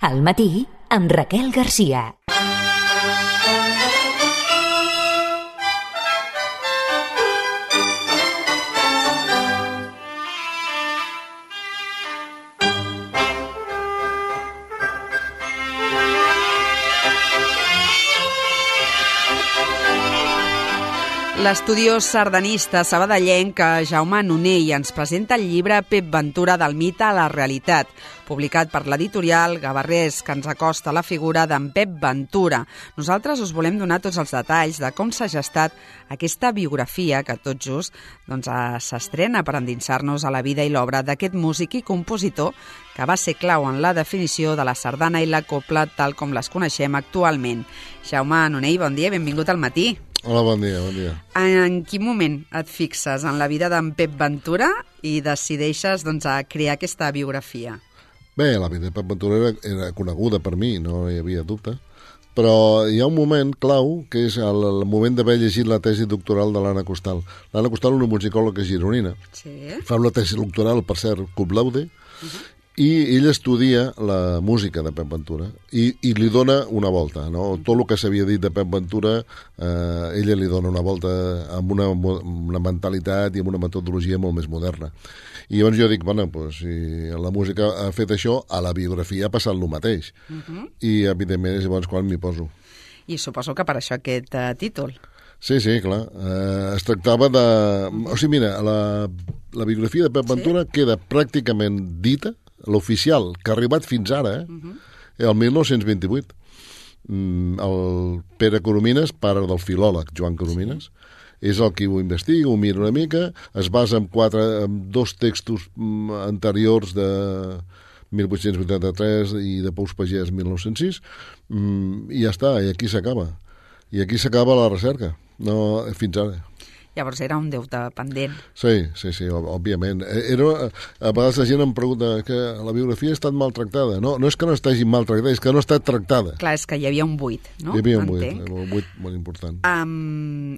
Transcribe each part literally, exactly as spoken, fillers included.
Al matí, amb Raquel Garcia. L'estudiós sardanista sabadellenc Jaume Nonell ens presenta el llibre Pep Ventura del mite a la realitat, publicat per l'editorial Gavarrés, que ens acosta a la figura d'en Pep Ventura. Nosaltres us volem donar tots els detalls de com s'ha gestat aquesta biografia que tot just doncs, s'estrena per endinsar-nos a la vida i l'obra d'aquest músic i compositor que va ser clau en la definició de la sardana i la copla tal com les coneixem actualment. Jaume Nonell, bon dia i benvingut al matí. Hola, bon dia, bon dia. En quin moment et fixes en la vida d'en Pep Ventura i decideixes doncs, a crear aquesta biografia? Bé, la vida de Pep Ventura era, era coneguda per mi, no hi havia dubte, però hi ha un moment clau, que és el, el moment d'haver llegit la tesi doctoral de l'Anna Costal. L'Anna Costal és una musicòloga gironina. Sí. Fa una tesi doctoral, per cert, cum laude, uh-huh. I ell estudia la música de Pep Ventura i, i li dona una volta, no? Tot el que s'havia dit de Pep Ventura, eh, ella li dona una volta amb una, una mentalitat i amb una metodologia molt més moderna. I llavors jo dic, bueno, pues, si la música ha fet això, a la biografia ha passat el mateix. Uh-huh. I, evidentment, és llavors quan m'hi poso. I suposo que per això aquest uh, títol. Sí, sí, clar. Eh, es tractava de... O sigui, mira, la, la biografia de Pep Ventura sí? queda pràcticament dita, l'oficial, que ha arribat fins ara, eh? Uh-huh. el mil nou-cents vint-i-vuit. Mm, el Pere Coromines, pare del filòleg Joan Coromines, sí. és el qui ho investiga, ho mira una mica, es basa en, quatre, en dos textos mm, anteriors de mil vuit-cents vuitanta-tres i de Pous Pagès mil nou-cents sis, mm, i ja està, i aquí s'acaba. I aquí s'acaba la recerca, no fins ara. Llavors era un deute pendent. Sí, sí, sí, òbviament. Era, a vegades la gent em pregunta que la biografia ha estat maltractada. No, no és que no estagi maltractada, és que no ha estat tractada. Clar, és que hi havia un buit, no? Hi havia un buit, un buit molt important. Um,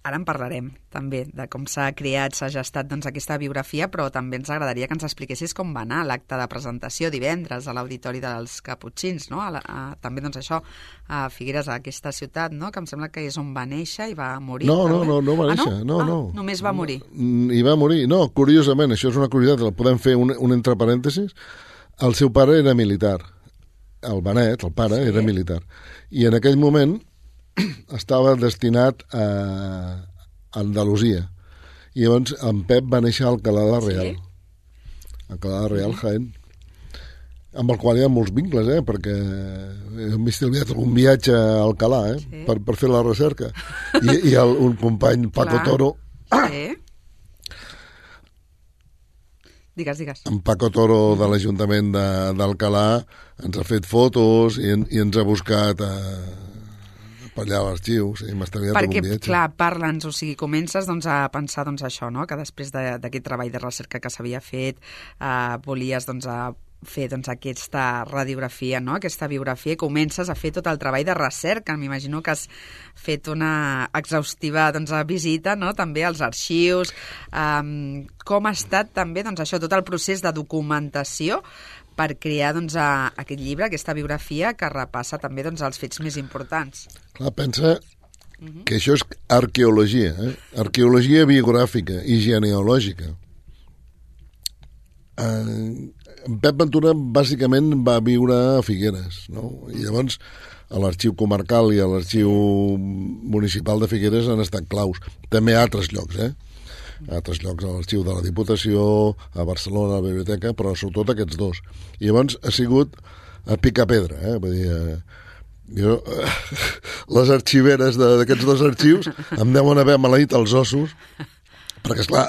ara en parlarem, també, de com s'ha creat, s'ha gestat doncs, aquesta biografia, però també ens agradaria que ens expliquessis com va anar l'acte de presentació divendres a l'Auditori dels Caputxins, no? A la, a, també, doncs, això, a Figueres, a aquesta ciutat, no? Que em sembla que és on va néixer i va morir. No, no, no, no va néixer. Ah, no? no, no. Ah, només va morir. I va morir. No, curiosament, això és una curiositat, la podem fer un, un entre parèntesis. El seu pare era militar. El Benet, el pare, sí. era militar. I en aquell moment estava destinat a Andalusia. I llavors en Pep va néixer a Alcalá de Real. Sí? Alcalá de Real, Jaén. Amb el qual hi ha molts vincles, eh? Perquè hem estalviat algun viatge a Alcalá, eh? Sí. Per, per fer la recerca. I, i el, un company, Paco Clar. Toro... Sí. Digues, digues. En Paco Toro de l'Ajuntament d'Alcalá ens ha fet fotos i, i ens ha buscat a... per allà a l'arxiu, sí, m'ha estalviat algun viatge. Perquè, clar, parla'ns, o sigui, comences doncs, a pensar doncs, això, no? Que després d'aquest treball de recerca que s'havia fet, eh, volies doncs, a fer doncs, aquesta radiografia, no? Aquesta biografia, i comences a fer tot el treball de recerca. M'imagino que has fet una exhaustiva doncs, visita, no? També als arxius. Um, com ha estat també doncs, això, tot el procés de documentació per crear doncs, a, aquest llibre, aquesta biografia que repassa també doncs, els fets més importants. Clar, pensa uh-huh. que això és arqueologia, eh? Arqueologia biogràfica i genealògica. Eh, Pep Ventura bàsicament va viure a Figueres, no? I llavors a l'arxiu comarcal i a l'arxiu municipal de Figueres han estat claus. També a altres llocs, eh? A altres llocs, a l'arxiu de la Diputació, a Barcelona, a la biblioteca, però sobretot aquests dos. I llavors ha sigut a picar-pedra, eh? Vull dir, eh, jo, eh, les arxiveres d'aquests dos arxius em deuen haver maleït els ossos, perquè, esclar,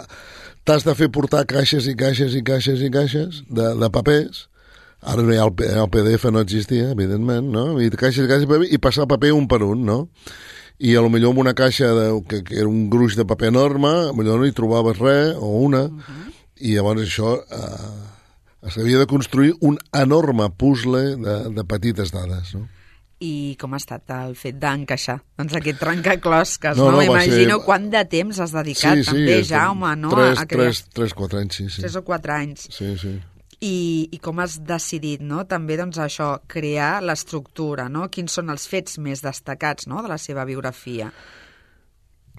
t'has de fer portar caixes i caixes i caixes i caixes de, de papers. Ara no hi ha el, el P D F, no existia, evidentment, no? I caixes i caixes de paper i passar paper un per un, no? I a lo millor amb una caixa de, que, que era un gruix de paper enorme, a lo millor no hi trobaves res, o una, uh-huh. i llavors això eh, s'havia de construir un enorme puzzle de, de petites dades, no? I com ha estat el fet d'encaixar doncs aquest trencaclosques, no? no? no M'imagino ser... quant de temps has dedicat, sí, sí, també, Jaume, no? Tres, a crear... tres, tres, quatre anys, sí, sí. Tres o quatre anys. Sí, sí. I, i com has decidit, no?, també, doncs, això, crear l'estructura, no? Quins són els fets més destacats, no?, de la seva biografia?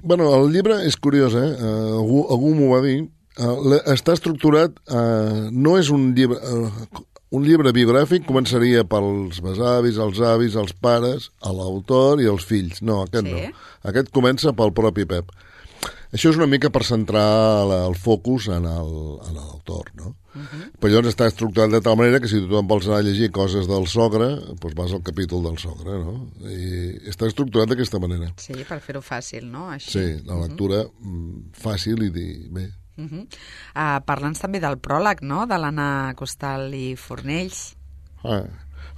Bueno, el llibre és curiós, eh? Uh, algú algú m'ho va dir. Uh, està estructurat, uh, no és un llibre... Uh, un llibre biogràfic començaria pels besavis, els avis, els pares, a l'autor i els fills. No, aquest sí. no. Aquest comença pel propi Pep. Això és una mica per centrar el focus en l'autor, no? Uh-huh. Però llavors està estructurat de tal manera que si tu em vols anar a llegir coses del sogre, doncs vas al capítol del sogre, no? I està estructurat d'aquesta manera. Sí, per fer-ho fàcil, no? Així. Sí, la lectura uh-huh. fàcil i dir, bé. Uh-huh. Uh, Parla'ns també del pròleg, no?, de l'Anna Costal i Fornells. Ah.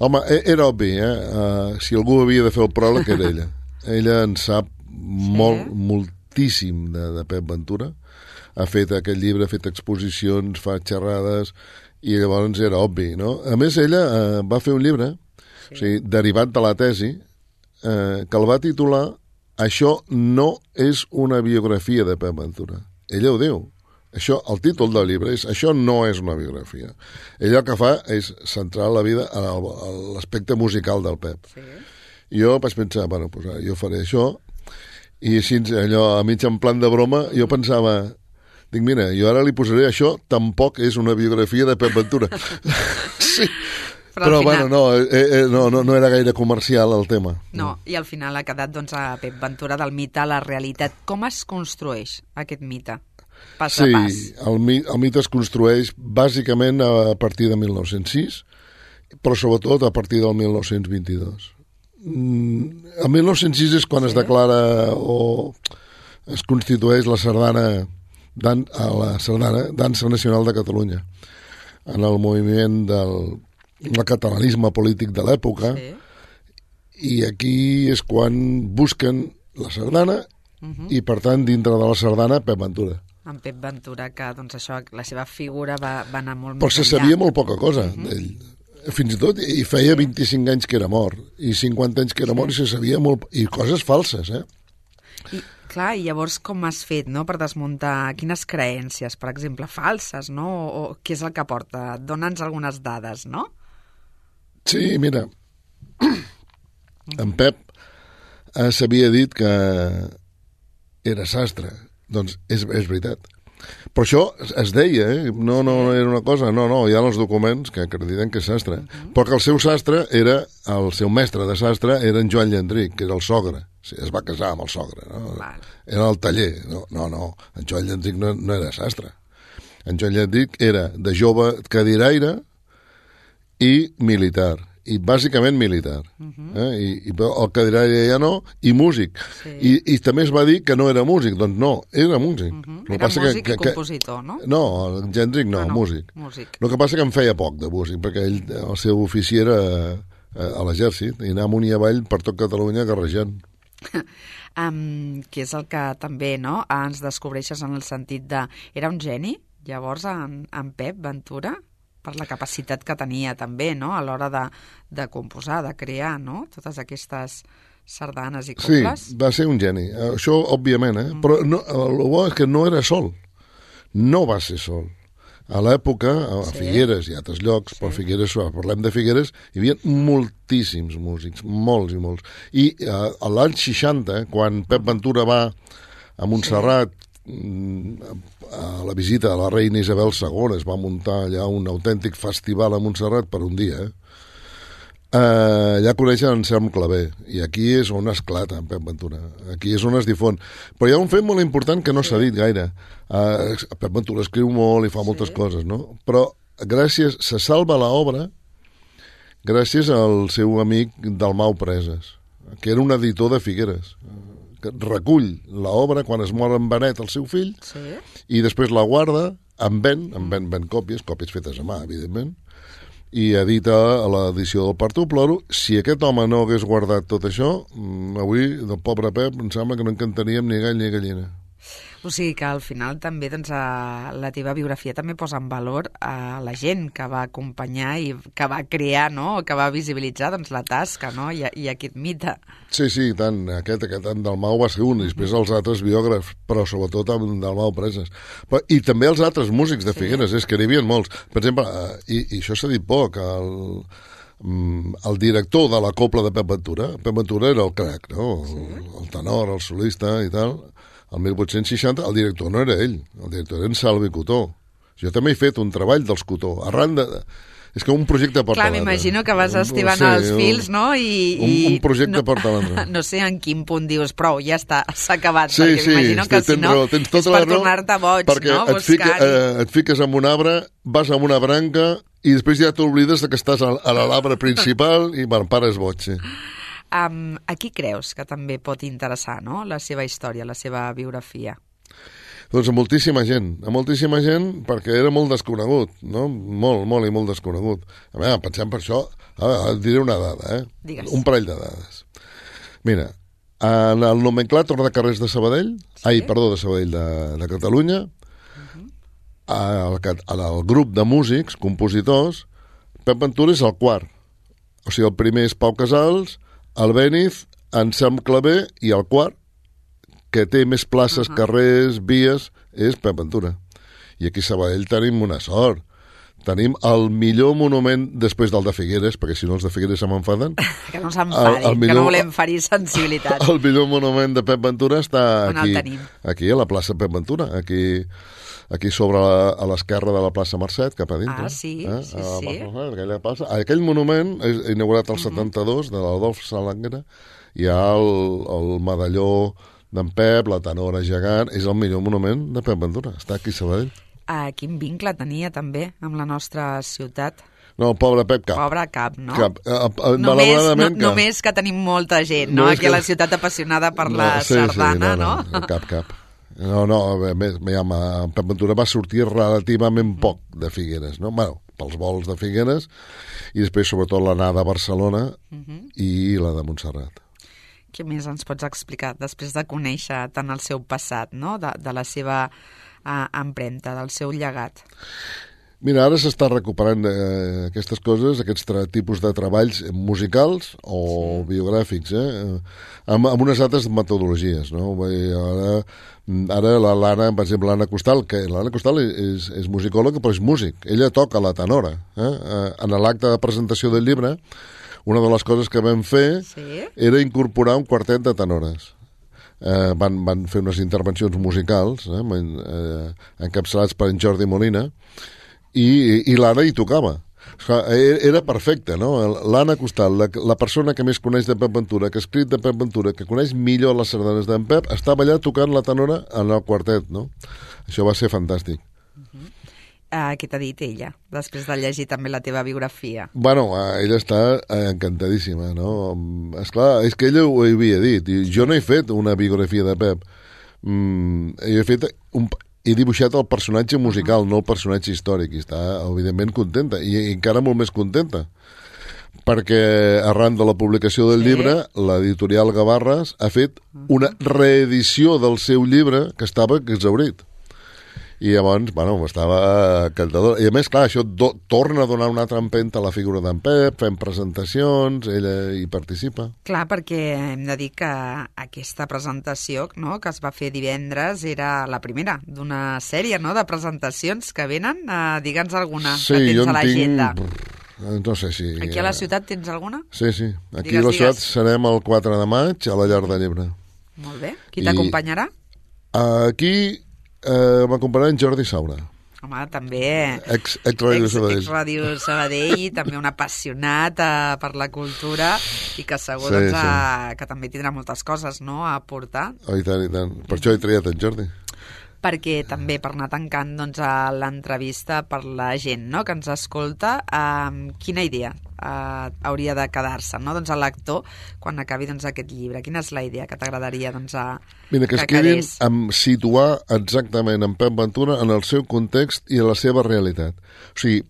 Home, era obvi, eh? Uh, si algú havia de fer el pròleg era ella. Ella en sap sí. molt, moltíssim de, de Pep Ventura. Ha fet aquest llibre, ha fet exposicions, fa xerrades, i llavors era obvi, no? A més, ella eh, va fer un llibre, sí. o sigui, derivat de la tesi, eh, que el va titular Això no és una biografia de Pep Ventura. Ella ho diu. Això, el títol del llibre és Això no és una biografia. Ella el que fa és centrar la vida a l'aspecte musical del Pep. Sí. I jo vaig pensar, bueno, pues, jo faré això, i així, allò, a mig en plan de broma, jo pensava... Dic, mira, jo ara li posaré això, tampoc és una biografia de Pep Ventura. Sí. Però, Però final... bueno, no, eh, eh, no, no, no era gaire comercial el tema. No, i al final ha quedat, doncs, a Pep Ventura del mite a la realitat. Com es construeix aquest mite? Pas sí, a pas. el, el mite es construeix bàsicament a partir de mil nou-cents sis, però sobretot a partir del mil nou-cents vint-i-dos. Mm, el mil nou-cents sis és quan sí. es declara o es constitueix la sardana Dan, a la sardana Dansa Nacional de Catalunya en el moviment del el catalanisme polític de l'època sí. i aquí és quan busquen la sardana uh-huh. i per tant dintre de la sardana Pep Ventura. En Pep Ventura, que doncs això, la seva figura va, va anar molt però més se enllà. sabia molt poca cosa uh-huh. d'ell. Fins i tot i feia vint-i-cinc anys que era mort i cinquanta anys que era sí. mort i se sabia molt i coses falses, eh? I clar, i llavors com has fet, no?, per desmuntar quines creences, per exemple, falses, no?, o, o què és el que porta? Dóna'ns algunes dades, no? Sí, mira, en Pep eh, s'havia dit que era sastre. Doncs és, és veritat. Però això es deia, eh? No, no era una cosa, no, no, hi ha els documents que acrediten que és sastre. Uh-huh. Però que el seu sastre era, el seu mestre de sastre era en Joan Llandric, que era el sogre. Sí, es va casar amb el sogre, no? Val. Era el taller. No, no, no. En Joan Llandric no, no era sastre. En Joan Llandric era de jove cadiraire i militar. I bàsicament militar. Uh-huh. eh? I, i el cadiraire ja no, i músic. Sí. I, I també es va dir que no era músic. Doncs no, era músic. Uh-huh. Era passa músic que, que, i compositor, no? No, el Gendrick no, ah, no, músic. músic. El que passa que en feia poc de músic, perquè ell, el seu ofici era a l'exèrcit, i anar amunt i avall per tot Catalunya garrejant. um, que és el que també, no?, ens descobreixes en el sentit de... Era un geni, llavors, en, en Pep Ventura? Per la capacitat que tenia també, no?, a l'hora de, de composar, de crear, no?, totes aquestes sardanes i cobles. Sí, va ser un geni, això òbviament, eh? Mm. Però no, el bo és que no era sol, no va ser sol. A l'època, a sí. Figueres i altres llocs, sí. però Figueres, parlem de Figueres, hi havia moltíssims músics, molts i molts. I eh, a l'any seixanta, quan Pep Ventura va a Montserrat, sí. a la visita a la reina Isabel segona, es va muntar allà un autèntic festival a Montserrat per un dia, eh? Uh, allà coneixen Anselm Clavé, i aquí és on esclata en Pep Ventura, aquí és on es difon. Però hi ha un fet molt important que no s'ha dit gaire. Uh, Pep Ventura escriu molt i fa moltes sí. coses, no? Però gràcies, se salva l'obra gràcies al seu amic Dalmau Preses, que era un editor de Figueres, que recull l'obra quan es mor en Benet, el seu fill, sí. i després la guarda, en ven, en ven, ven còpies, còpies fetes a mà, evidentment, i edita a l'edició del Parto Ploro. Si aquest home no hagués guardat tot això, avui, del pobre Pep, em sembla que no encantaríem ni gall ni gallina. O sigui que al final també doncs, la teva biografia també posa en valor a la gent que va acompanyar i que va crear, no?, que va visibilitzar doncs, la tasca, no?, i, i aquest mite. Sí, sí, tant. Aquest, aquest en Dalmau va ser un, i després els altres biògrafs, però sobretot en Dalmau Preses. Però, i també els altres músics de Figueres, sí. És que n'hi havia molts. Per exemple, i, i això s'ha dit poc, el, el director de la copla de Pep Ventura, Pep Ventura era el crac, no?, sí. el, el tenor, el solista i tal. El mil vuit-cents seixanta el director no era ell, el director era en Salvi Cotó. Jo també he fet un treball dels Cotó, arran de... És que un projecte porta l'altre. Clar, m'imagino que vas estivant sí, els fils, no? I, un, un projecte no, porta l'altre. No sé en quin punt dius, prou, ja està, s'ha acabat, sí, perquè sí, m'imagino que si no raó, tens tota és per raó, tornar-te boig, perquè no? Et, fica, eh, et fiques en un arbre, vas a una branca i després ja t'oblides que estàs a, a l'arbre principal i bueno, pares boig, sí. Um, a qui creus que també pot interessar, no?, la seva història, la seva biografia? Doncs a moltíssima gent, a moltíssima gent, perquè era molt desconegut, no? Molt, molt i molt desconegut. A veure, pensem per això, a veure, et diré una dada, eh? Digues. Un parell de dades. Mira, en el nomenclàtor de carrers de Sabadell, sí? ai, perdó, de Sabadell, de, de Catalunya, uh-huh. al, al grup de músics, compositors, Pep Ventura és el quart. O sigui, el primer és Pau Casals, el Béniz, Anselm Clavé i el quart, que té més places, uh-huh. carrers, vies, és Pep Ventura. I aquí a Sabadell tenim una sort. Tenim el millor monument després del de Figueres, perquè si no els de Figueres se m'enfaden. Que no s'enfadin, que no volem ferir sensibilitat. El millor monument de Pep Ventura està on aquí, aquí a la plaça Pep Ventura, aquí, aquí sobre la, a l'esquerra de la plaça Mercet, cap a dintre. Ah, sí, eh? sí, a sí. Plaça, aquella plaça. Aquell monument és inaugurat el uh-huh. setanta-dos, de l'Adolf Salanguera, hi ha el, el medalló d'en Pep, la tenora gegant, és el millor monument de Pep Ventura, està aquí a Sabadell. Ah, quin vincle tenia també amb la nostra ciutat? No, pobre Pep, cap. Pobre cap, no? Cap. Eh, eh, només, no, cap. només que tenim molta gent, no? no aquí que... a la ciutat apassionada per no, la sí, sardana, sí, no, no? no? Cap, cap. No, no, a més, Pep Ventura va sortir relativament poc de Figueres, no? Bueno, pels vols de Figueres, i després sobretot l'anada a Barcelona uh-huh. i la de Montserrat. Què més ens pots explicar després de conèixer tant el seu passat, no? de, de la seva uh, empremta, del seu llegat? Mira, ara s'està recuperant eh, aquestes coses, aquests tipus de treballs musicals o sí. biogràfics, eh? amb, amb unes altres metodologies, no? Ara, ara la l'Anna, per exemple, l'Anna Costal, que l'Anna Costal és, és musicòloga, però és músic. Ella toca la tenora. Eh? En l'acte de presentació del llibre, una de les coses que vam fer sí? era incorporar un quartet de tenores. Eh, van, van fer unes intervencions musicals, eh, eh, encapçalats per en Jordi Molina, i, i l'Anna hi tocava. Era perfecte, no? L'Anna Costal, la, la persona que més coneix de Pep Ventura, que ha escrit de Pep Ventura, que coneix millor les sardanes d'en Pep, estava allà tocant la tenora en el quartet, no? Això va ser fantàstic. Uh-huh. Uh, què t'ha dit ella, després de llegir també la teva biografia? Bueno, uh, ella està encantadíssima, no? Esclar, és que ella ho havia dit. Jo no he fet una biografia de Pep. Mm, he fet un... he dibuixat el personatge musical, uh-huh. no el personatge històric, i està, evidentment, contenta, i, i encara molt més contenta, perquè arran de la publicació del sí. llibre, l'editorial Gavarres ha fet uh-huh. una reedició del seu llibre que estava exhaurit. I llavors, bueno, estava encantador. I a més, clar, això do, torna a donar una altra empenta a la figura d'en Pep, fem presentacions, ella hi participa. Clar, perquè hem de dir que aquesta presentació, no?, que es va fer divendres era la primera d'una sèrie, no?, de presentacions que venen. Uh, Digue'ns alguna sí, que tens a l'agenda. Tinc... No sé si... Aquí a la ciutat tens alguna? Sí, sí. Aquí digues, a la ciutat digues. serem el quatre de maig a la Llar de Llebre. Molt bé. Qui t'acompanyarà? Aquí... Eh, m'acompanyarà en Jordi Saura. Home, també... Ex, ex Ràdio Sabadell. Ex Ràdio Sabadell, també un apassionat uh, per la cultura i que segur sí, doncs, sí. Uh, que també tindrà moltes coses, no?, a aportar. Oh, i tant, i tant. Per això he triat en Jordi. Perquè també per anar tancant doncs, a l'entrevista per la gent, no?, que ens escolta, uh, quina idea uh, hauria de quedar-se, no?, doncs, a l'actor quan acabi doncs, aquest llibre? Quina és la idea que t'agradaria doncs, a, Mira, que, que es quedin amb situar exactament en Pep Ventura en el seu context i en la seva realitat. O sigui,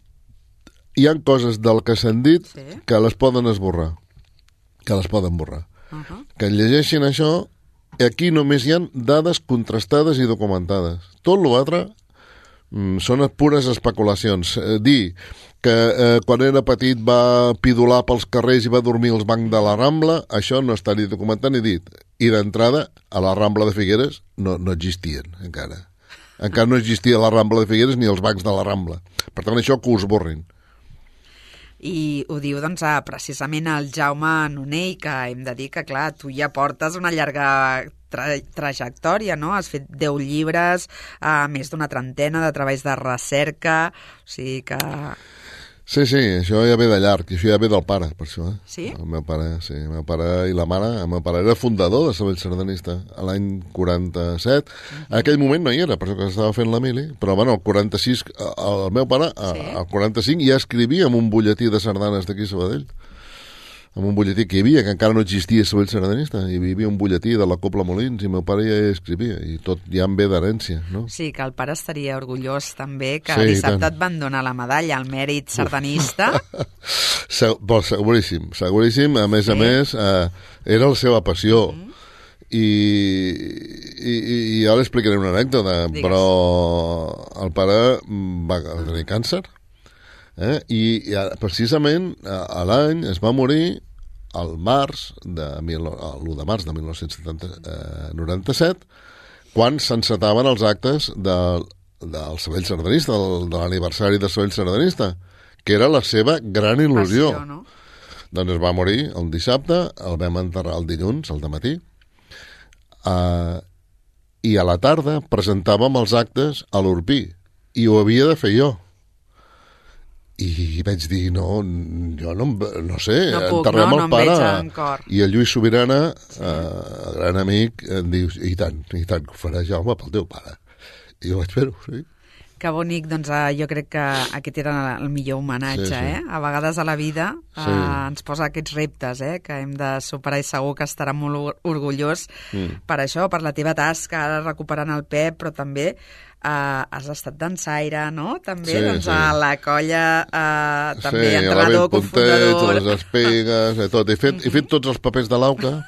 hi ha coses del que s'han dit sí. que les poden esborrar, que les poden borrar. Uh-huh. Que llegeixin això aquí només hi ha dades contrastades i documentades. Tot l'altre mm, són pures especulacions. Eh, dir que eh, quan era petit va pidolar pels carrers i va dormir als bancs de la Rambla, això no està ni documentat ni dit. I d'entrada, a la Rambla de Figueres no, no existien encara. Encara no existia la Rambla de Figueres ni els bancs de la Rambla. Per tant, això que us borrin. I ho diu, doncs, precisament el Jaume Nonell, que hem de dir que, clar, tu ja portes una llarga tra trajectòria, no? Has fet deu llibres, eh, més d'una trentena de treballs de recerca, o sigui que... Sí, sí, això ja ve de llarg, això ja ve del pare, per això. Eh? Sí? El meu pare, sí, el meu pare i la mare, el meu pare era fundador de Sabell Sardanista, a l'any quaranta-set. En aquell moment no hi era, per això que estava fent la mili, però bueno, el quaranta-sis, el meu pare, sí? Al quaranta-cinc ja escrivia en un butlletí de sardanes d'aquí a Sabadell, en un butlletí que hi havia, que encara no existia Sabell Sardanista, hi havia un butlletí de la Copla Molins i meu pare ja escrivia, i tot ja en ve d'herència, no? Sí, que el pare estaria orgullós també, que sí, dissabte et van donar la medalla al mèrit sardanista. Se, bo, seguríssim, seguríssim, a més sí. a més, eh, era la seva passió, mm. i, i, i ara explicaré una anècdota, Digues. Però el pare va tenir càncer, eh? I, i precisament a, a l'any es va morir al març de l'u de març de mil nou-cents noranta-set, quan s'encetaven els actes de, del Sabell Sardanista, del, de l'aniversari del Sabell Sardanista, que era la seva gran il·lusió. Passió, no? Doncs es va morir el dissabte, el vam enterrar el dilluns, al dematí, uh, i a la tarda presentàvem els actes a l'Orpí, i ho havia de fer jo. I vaig dir, no, jo no, no sé, no puc, enterrem no, el no pare. I el Lluís Sobirana, sí. eh, gran amic, em diu, i tant, i tant, que ho farà Jaume pel teu pare. I jo vaig fer-ho, sí. Que bonic, doncs jo crec que aquest era el millor homenatge, sí, sí. eh? A vegades a la vida sí. eh, ens posa aquests reptes, eh? Que hem de superar i segur que estarà molt orgullós mm. per això, per la teva tasca, ara recuperant el Pep, però també eh, has estat dansaire, no? També, sí, doncs, sí. a la colla, eh, també sí, entrenador, cofundador... Sí, les espigues, eh, tot. He fet, he fet tots els papers de l'Auca.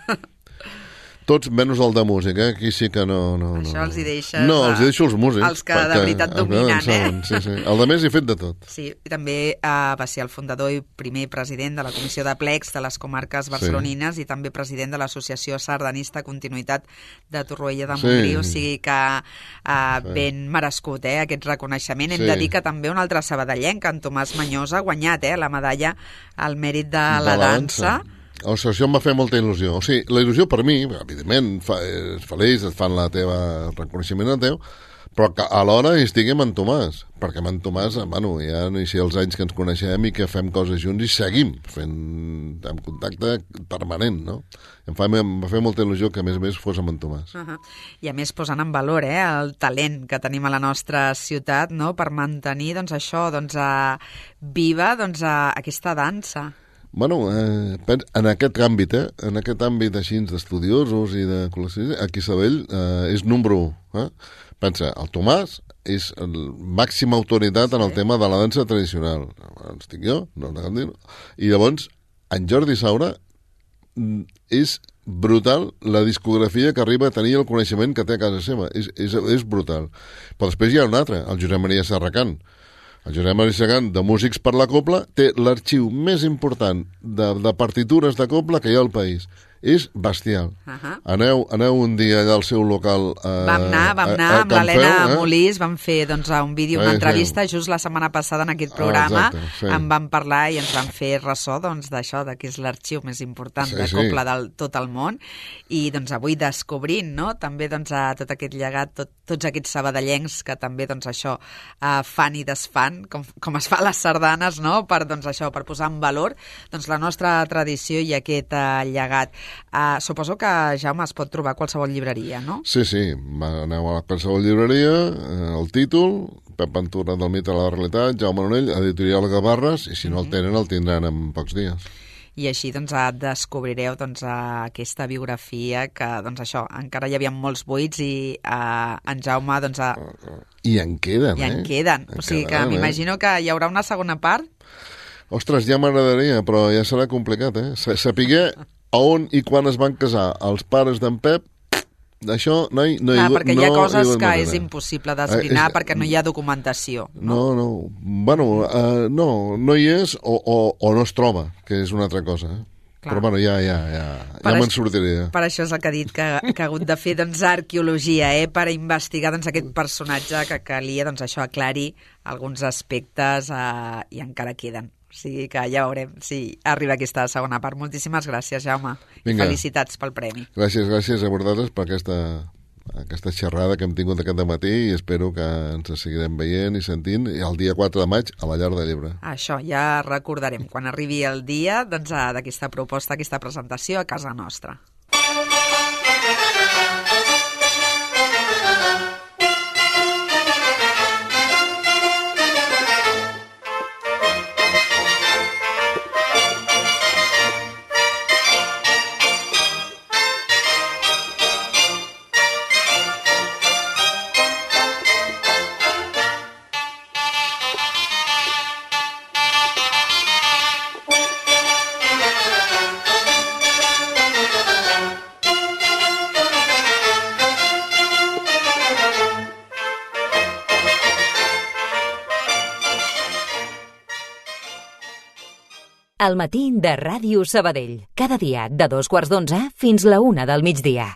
Tots menys el de música, eh? Aquí sí que no... no Això no. els hi deixes... No, els hi deixo els músics. Els que de veritat dominen, eh? Sí, sí. El de més he fet de tot. Sí, i també eh, va ser el fundador i primer president de la Comissió de Plecs de les comarques barcelonines sí. i també president de l'Associació Sardanista Continuïtat de Torroella de Montgrí, sí. o sigui que eh, sí. ben merescut, eh, aquest reconeixement. Hem sí. de dir que també un altre sabadellenc, en Tomàs Mañós, ha guanyat eh, la medalla al mèrit de, de la, la dansa. dansa. O sigui, això em va fer molta il·lusió. O sigui, la il·lusió per mi, evidentment, fa, és feliç, et fan la teva reconeixement al teu, però que alhora hi estigui amb en Tomàs, perquè amb en Tomàs, bueno, ja no hi sé els anys que ens coneixem i que fem coses junts i seguim fent en contacte permanent, no? Em, fa, em va fer molta il·lusió que a més a més fos amb en Tomàs. Uh -huh. I a més posant en valor eh, el talent que tenim a la nostra ciutat, no?, per mantenir doncs, això, doncs, uh, viva doncs, uh, aquesta dansa. Bueno, eh, en aquest àmbit, eh, en aquest àmbit així d'estudiosos i de col·leccionistes, aquí Sabell eh, és número u. Eh? Pensa, el Tomàs és la màxima autoritat sí. en el tema de la dansa tradicional. Estic jo, no, no cal dir-ho. I llavors, en Jordi Saura és brutal la discografia que arriba a tenir el coneixement que té a casa seva. És, és, és brutal. Però després hi ha un altre, el Josep Maria Serracant. El Josep Maria Serracant, de Músics per la Copla, té l'arxiu més important de, de partitures de copla que hi ha al país. És bestial. Uh -huh. aneu, aneu un dia allà al seu local eh, vam anar, vam anar a, a amb l'Helena eh? Molís, vam fer doncs, un vídeo, una entrevista just la setmana passada en aquest programa, ah, exacte, sí. en vam parlar i ens vam fer ressò doncs, d'això, de que és l'arxiu més important sí, de copla sí. del tot el món, i doncs avui descobrint, no?, també doncs, a tot aquest llegat, tot, tots aquests sabadellencs que també doncs, això uh, fan i desfan, com, com es fa a les sardanes, no?, per, doncs, això, per posar en valor doncs, la nostra tradició i aquest uh, llegat. Uh, suposo que, Jaume, es pot trobar a qualsevol llibreria, no? Sí, sí, aneu a qualsevol llibreria, eh, el títol, Pep Ventura del mite a la realitat, Jaume Nonell, editorial Gavarres, i si no el tenen, el tindran en pocs dies. I així doncs, descobrireu doncs, aquesta biografia que, doncs, això, encara hi havia molts buits i uh, en Jaume... Doncs, a... I en queden, I en eh? queden. En o sigui que m'imagino eh? que hi haurà una segona part. Ostres, ja m'agradaria, però ja serà complicat, eh? Sapiguer a on i quan es van casar els pares d'en Pep, Això no hi, no hi, ah, perquè hi ha no coses hi que manera. és impossible d'esbrinar Eh, és- perquè no hi ha documentació. No, No, no. Bueno, uh, no, no hi és o, o, o no es troba, que és una altra cosa. Eh? Clar. Però bueno, ja, ja, ja, Per ja me'n això- sortiré. Ja. Per això és el que ha dit, que, que ha hagut de fer doncs, arqueologia, eh, per investigar doncs, aquest personatge que calia doncs, això aclarir alguns aspectes eh, i encara queden. O sigui que ja veurem si arriba aquesta segona part. Moltíssimes gràcies, Jaume. Vinga. I felicitats pel premi. Gràcies, gràcies a vosaltres per aquesta, aquesta xerrada que hem tingut aquest matí i espero que ens seguirem veient i sentint i el dia quatre de maig a la Llar de Llebre. Això ja recordarem quan arribi el dia doncs, eh, d'aquesta proposta, aquesta presentació a casa nostra. El matí de Ràdio Sabadell. Cada dia de dos quarts d'onze fins la una del migdia.